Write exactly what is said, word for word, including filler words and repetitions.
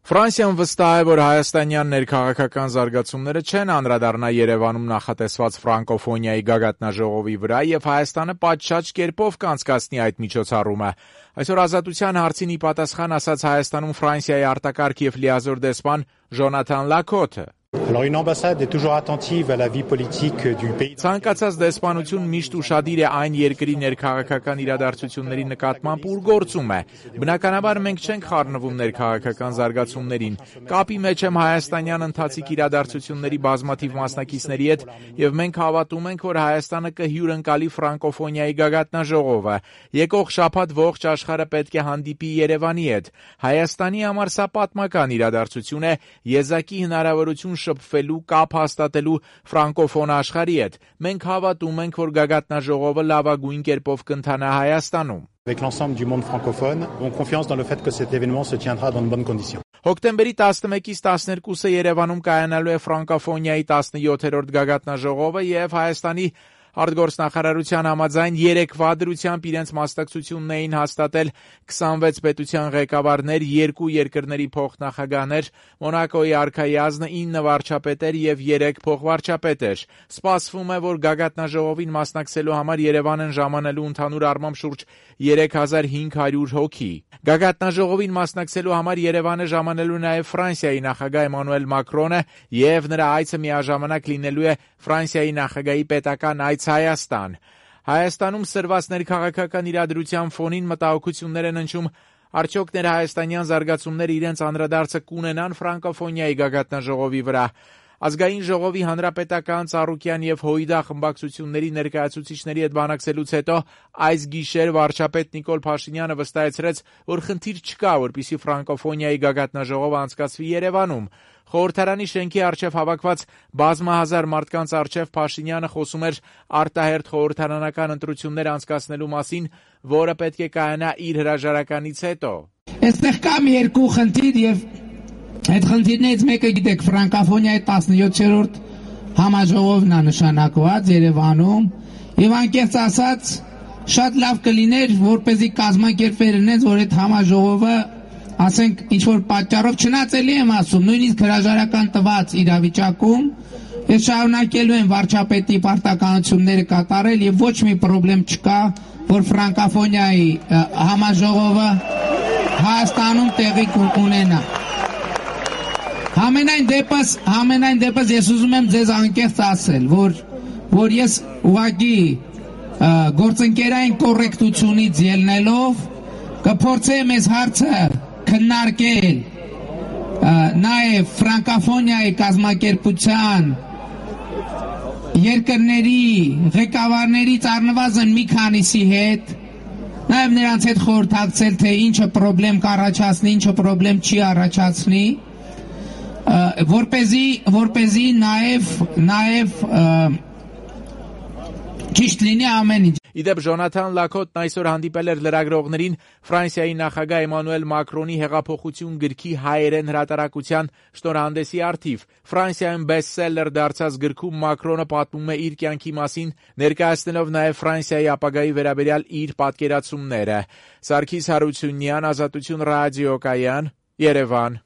Ֆրանսիան վստահ է, որ հայաստանյան ներքաղաքական զարգացումները չեն անդրադառնա Երևանում նախատեսված ֆրանկոֆոնիայի գագաթնաժողովի վրա եւ Հայաստանը պատշաճ կերպով կանցկացնի այդ միջոցառումը։ Այսօր Ազատության հարցին ի պատասխան ասաց Հայաստանում Ֆրանսիայի արտակարգ եւ լիազոր դեսպան Ժոնաթան Լակոթը. Alors une ambassade est toujours attentive à la vie politique du pays. Ցանկացած դեսպանություն միշտ ուշադիր է այն երկրի ներքաղաքական իրադարձությունների նկատմամբ, ուր գործում է։ Բնականաբար մենք չենք խառնվում ներքաղաքական զարգացումներին։ Կապի մեջ եմ հայաստանյան ընթացիկ իրադարձությունների բազմաթիվ մասնակիցների հետ եւ մենք հավատում ենք, որ Հայաստանը կհյուրընկալի ֆրանկոֆոնիայի գագաթնաժողովը։ Եկող շաբաթ ողջ աշխարհը պետք է հանդիպի Երևանի հետ։ Հայաստանի համար սա պատմական իրադարձություն է, եզակի հնարավորություն շփվելու, կապ հաստատելու ֆրանկոֆոն աշխարհի հետ։ Մենք հավատում ենք, որ գագաթնաժողովը լավագույն կերպով կընթանա Հայաստանում։ Avec l'ensemble du monde francophone, ont confiance dans le fait que cet événement se tiendra dans de bonnes conditions. Հոկտեմբերի տասնմեկից տասներկուսը Երևանում կայանալու է ֆրանկոֆոնիայի տասնյոթերորդ գագաթնաժողովը եւ Հայաստանի արտգործնախարարության համաձայն երեկվա դրությամբ իրենց մասնակցությունն էին հաստատել քսանվեց պետության ղեկավարներ, երկու երկրների փոխնախագահներ, Մոնակոյի արքայազնը, ինը վարչապետեր եւ երեք փոխվարչապետեր։ Սպասվում է, որ գագաթնաժողովին մասնակցելու համար Երևան են ժամանելու ընդհանուր առմամբ շուրջ երեք հազար հինգ հարյուր հոգի։ Գագաթնաժողովին մասնակցելու համար Երևան է ժամանելու նաեւ Ֆրանսիայի նախագահ Էմանուել Մակրոնը եւ նրա այցը միաժամանակ լինելու է Ֆրանսիայի նախագահի պետական այց Հայաստան։ Հայաստանում սրված ներքաղաքական իրադրության ֆոնին մտահոգություններ են ընչում, արդյոք ներհայաստանյան զարգացումները իրենց անդրադարձը կունենան ֆրանկոֆոնիայի գագաթնաժողովի վրա։ Ազգային ժողովի հանրապետական, Ծառուկյան եւ Հույդա խմբակցությունների ներկայացուցիչների հետ բանակցելուց հետո այս գիշեր վարչապետ Նիկոլ Փաշինյանը վստահեցրեց, որ խնդիր չկա, որպեսզի ֆրանկոֆոնիայի գագաթնաժողովը անցկացվի Երևանում։ Խորհրդարանի շենքի առջև հավաքված բազմահազար մարդկանց առջև Փաշինյանը խոսում էր արտահերթ խորհրդարանական ընտրություններ անցկացնելու մասին, որը պետք է կայանա իր հրաժարականից հետո։ Այստեղ կա մի երկու խնդիր եւ այդ խնդիրներից մեկը գիտեք ֆրանկոֆոնիայի տասնյոթերորդ համաժողովն է նշանակված Երևանում եւ անկեղծ ասած շատ լավ կլիներ որպեսզի կազմակերպվեր այնպես որ այդ համաժողովը ասենք ինչ-որ պատճառով չնայած էլի եմ ասում, նույնիսկ հրաժարական տված իրավիճակում ես շարունակելու եմ վարչապետի պարտականությունները կատարել եւ ոչ մի խնդրեմ չկա, որ ֆրանկոֆոնիայի համաժողովը Հայաստանում տեղի կունենա։ Համենայն դեպս, համենայն դեպս ես ուզում եմ ձեզ անկեղծ ասել, որ որ ես ուղղակի գործընկերային կոռեկտությունից ելնելով կփորձեմ այս հարցը քննարկել նաև ֆրանկոֆոնիայի կազմակերպության երկրների ղեկավարներից առնվազն մի քանիսի հետ նաև նրանց հետ խորհրդակցել թե ինչը խնդրեմ կառաջացնի, ինչը խնդրեմ չի առաջացնի, որպեսզի որպեսզի նաև նաև ճիշտ լինի ամեն ինչ։ Իդեպ Ժոնաթան Լակոթն այսօր հանդիպել էր լրագրողներին Ֆրանսիայի նախագահ Էմանուել Մակրոնի հեղափոխություն գրքի հայերեն հրատարակության շնորհանդեսի առթիվ։ Ֆրանսիայում բեսթսելլեր դարձած գրքում Մակրոնը պատմում է իր կյանքի մասին, ներկայացնելով նաև Ֆրանսիայի ապագայի վերաբերյալ իր պատկերացումները։ Սարգիս Հարությունյան, Ազատություն ռադիոկայան, Երևան։